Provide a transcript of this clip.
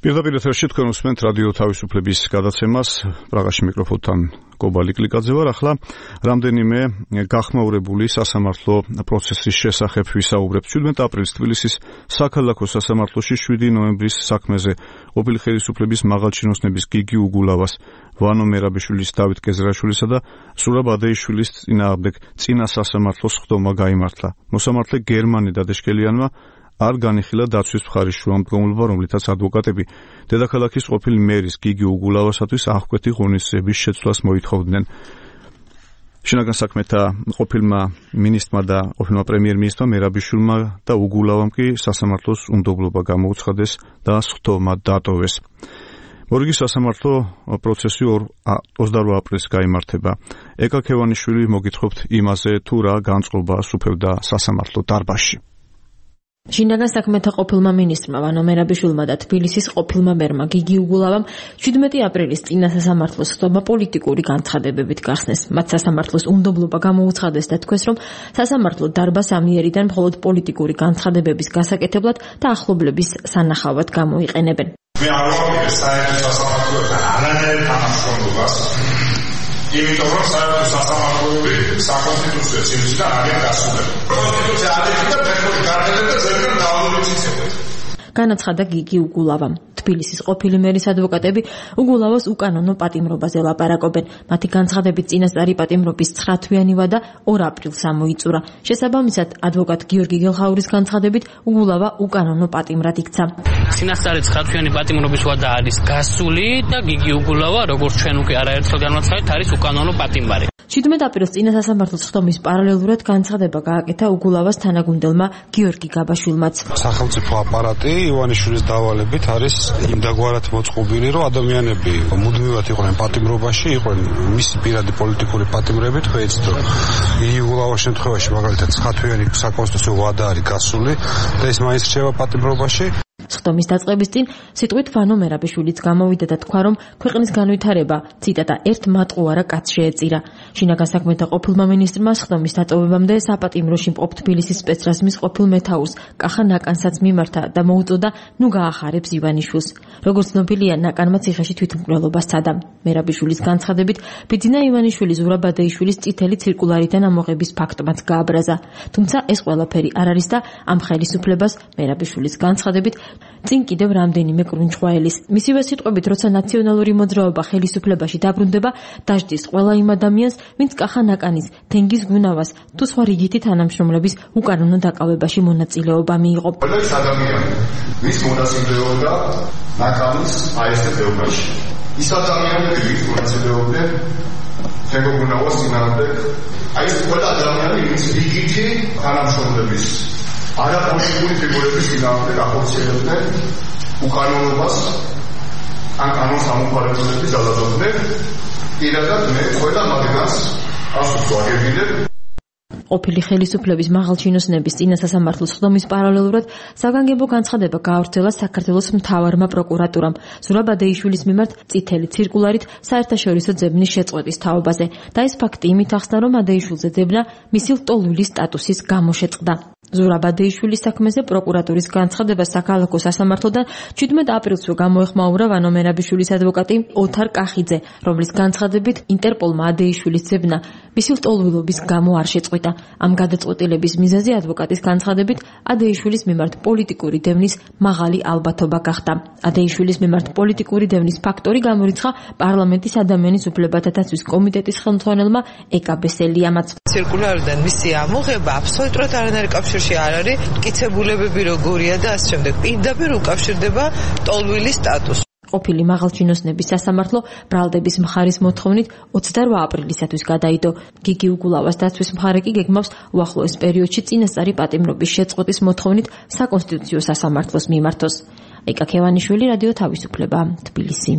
პირდაპირ ეთერში თქვენ უსმენთ რადიო თავისუფლების გადაცემას. პრაღაში მიკროფონთან კობალი კლიკაძე ვარ. ახლა რამდენიმე გახმაურებული სასამართლო პროცესის შესახებ ვისაუბრებთ. 17 აპრილს თბილისის საქალაქო სასამართლოში 7 ნოემბრის საქმეზე ყოფილი ხელისუფლების მაღალჩინოსნების გიგი უგულავას, ვანო მერაბიშვილის, დავით კეზრაშვილისა და სურაბ ადეიშვილის წინააღმდეგ წინა სასამართლოს ხდომა გაიმართლა. მოსამართლე გერმანე დადეშკელიანმა არ განიხილა დაცვის მხარის შუამდგომლობა, რომლითაც ადვოკატები დედაქალაქის ყოფილი მერის გიგი უგულავასათვის აღკვეთი ღონისძიების შეცვლას მოითხოვდნენ. შინაგან საქმეთა ყოფილმა მინისტრმა და ყოფილმა პრემიერ-მინისტრმა მერაბიშვილმა და უგულავამ კი სასამართლოს უნდობლობა გამოუცხადეს და ხდომა დატოვეს. მორიგი სასამართლო პროცესი 28 აპრილს გაიმართება. ეკა ქევანიშვილი მოგითხრობთ იმაზე, თუ რა განწყობა სუფევდა სასამართლო დარბაზში. შინაგან საქმეთა ყოფილმა მინისტრმა ვანო მერაბიშვილმა და თბილისის ყოფილმა მერმა გიგი უგულავამ 17 აპრილის წინა სასამართლოს ხდომა პოლიტიკური განცხადებებით გახსნეს. მათ სასამართლოს უნდობლობა გამოუცხადეს და თქვეს, რომ სასამართლო დარბაზს ამიერიდან მხოლოდ პოლიტიკური განცხადებების გასაკეთებლად და ახლობლების სანახავად გამოიყენებენ. მე არ ვამბობ საერთო სასამართლოებთან არანაირ თანამშრომლობას, იმიტომ რომ საერთო სასამართლოები საკონსტიტუციო ცივისგან არიან დასრულებული. კონსტიტუცია არიქით და ფეხბურთი გარდადება და ზოგადად დავალებით იცეკვეთ. განაცხადა გიგი უგულავამ. თბილისის ყოფილი მერის ადვოკატები უგულავას უკანონო პატიმრობაზე ლაპარაკობენ. მათი განცხადებით წინასწარი პატიმრობის 9 თვიანი ვადა 2 აპრილს ამოიწურა. შესაბამისად, ადვოკატ გიორგი გელხაურის განცხადებით უგულავა უკანონო პატიმრად იქცა. წინასწარი 9 თვიანი პატიმრობის ვადა არის გასული და გიგი უგულავა, როგორც ჩვენ უკვე არაერთხელ განვაცხადეთ, არის უკანონო პატიმარი. 17 აპრილს წინა სასამართლოს ხდომის პარალელურად განცხადება გააკეთა უგულავას თანაგუნდელმა გიორგი გაბაშვილმაც. სახელმწიფო აპარატი ივანიშვილის დავალებით არის იმდაგვარად მოწყობილი, რომ ადამიანები მუდმივად იყვნენ პატიმრობაში, იყვნენ მისი პირადი პოლიტიკური პატიმრებით, ხეიცით რომ უგულავას შემთხვევაში მაგალითად 9 თვიანი საკონსტიტუციო ვადა არის გასული და ის მაინც რჩება პატიმრობაში. ხდომის დაწყების წინ სიტყვით ვანო მერაბიშვილიც გამოვიდა და თქვა, რომ ქვეყნის განვითარება, ციტატა, ერთ მატყუარა კაცს შეეწირა. შინაგან საქმეთა ყოფილმა მინისტრმა ხდომის დატოვებამდე საპატიმროში მყოფ თბილისის სპეცრაზმის ყოფილ მეთაურს კახა ნაკანსაც მიმართა და მოუწოდა, ნუ გაახარებს ივანიშვილს. როგორც ცნობილია, ნაკანმა ციხეში თვითმკვლელობა სცადა. მერაბიშვილის განცხადებით, ბიძინა ივანიშვილის ზურაბ ადეიშვილის წითელი ცირკულარიდან ამოღების ფაქტმაც გააბრაზა. თუმცა ეს ყველაფერი არ არის და ამ ხელისუფლებას მერაბიშვილის განცხადებით წინ კიდევ რამდენიმე კრუნჩხვაელის. მისივე სიტყვებით, როცა ნაციონალური მოძრაობა ხელისუფლებაში დაბრუნდება, დაждდის ყველა იმ ადამიანს, ვინც კახა ნაკანის, თენგიზ გუნავას თუ სხვა რიგითი თანამშრომლების უკანონო დაკავებაში მონაწილეობა მიიღო. ყველა ის ადამიანი, ვის მონაწილეობდა ნაკანის აესტებობაში. ის ადამიანები, ვის მონაწილეობდნენ თენგო გუნავას წინააღმდეგ, აი ეს ყველა ადამიანი, ვის რიგითი თანამშრომლების არაპოლიტიკური ფიგურების წინააღმდეგ ახორციელებდნენ უკანონობას, ან კანონს ამოყალიბებდნენ, ძალადობდნენ. პირადად მე ყველა მაგას ასოს ვაგებინებ. ყოფილი ხელისუფლების მაღალჩინოსნების წინა სასამართლოს ხდომის პარალელურად საგანგებო განცხადება გაავრცელა საქართველოს მთავარმა პროკურატურამ ზურაბ ადეიშვილის მიმართ წითელი ცირკულარით საერთაშორისო ძებნის შეწყვეტის თაობაზე და ეს ფაქტი იმით ახსნა, რომ ადეიშვილზე ძებნა მისი ლტოლვილი სტატუსის გამო შეწყდა. ზურაბ ადეიშვილის საქმეზე პროკურატურის განცხადება საქალაქო სასამართლოდან 17 აპრილსვე გამოეხმაურა ვანო მერაბიშვილის ადვოკატი ოთარ კახიძე, რომლის განცხადებით ინტერპოლმა ადეიშვილის ძებნა მისი ლტოლვილობის გამო არ შეწყვიტა. ამ გადაწყვეტილების მიზეზი ადვოკატის განცხადებით ადეიშვილის მიმართ პოლიტიკური დევნის მაღალი ალბათობა გახდა. ადეიშვილის მიმართ პოლიტიკური დევნის ფაქტორი გამორიცხა პარლამენტის ადამიანის უფლებათა დაცვის კომიტეტის ხელმძღვანელმა ეკა ბესელიამაც. ცირკულარიდან მისი ამოღება აბსოლუტურად არანაირ კავშირში არ არის, მტკიცებულებები როგორია და ასე შემდეგ. პირდაპირ უკავშირდება ტოლვილის სტატუსს. ყოფილი მაღალჩინოსნების სასამართლო ბრალდების მხარის მოთხოვნით 28 აპრილისათვის გადაიდო. გიგი უგულავას დაცვის მხარე კი გეგმავს უახლოეს პერიოდში წინასწარი პატიმრობის შეწყვეტის მოთხოვნით საკონსტიტუციო სასამართლოს მიმართოს. ეკა ქევანიშვილი, რადიო თავისუფლება, თბილისი.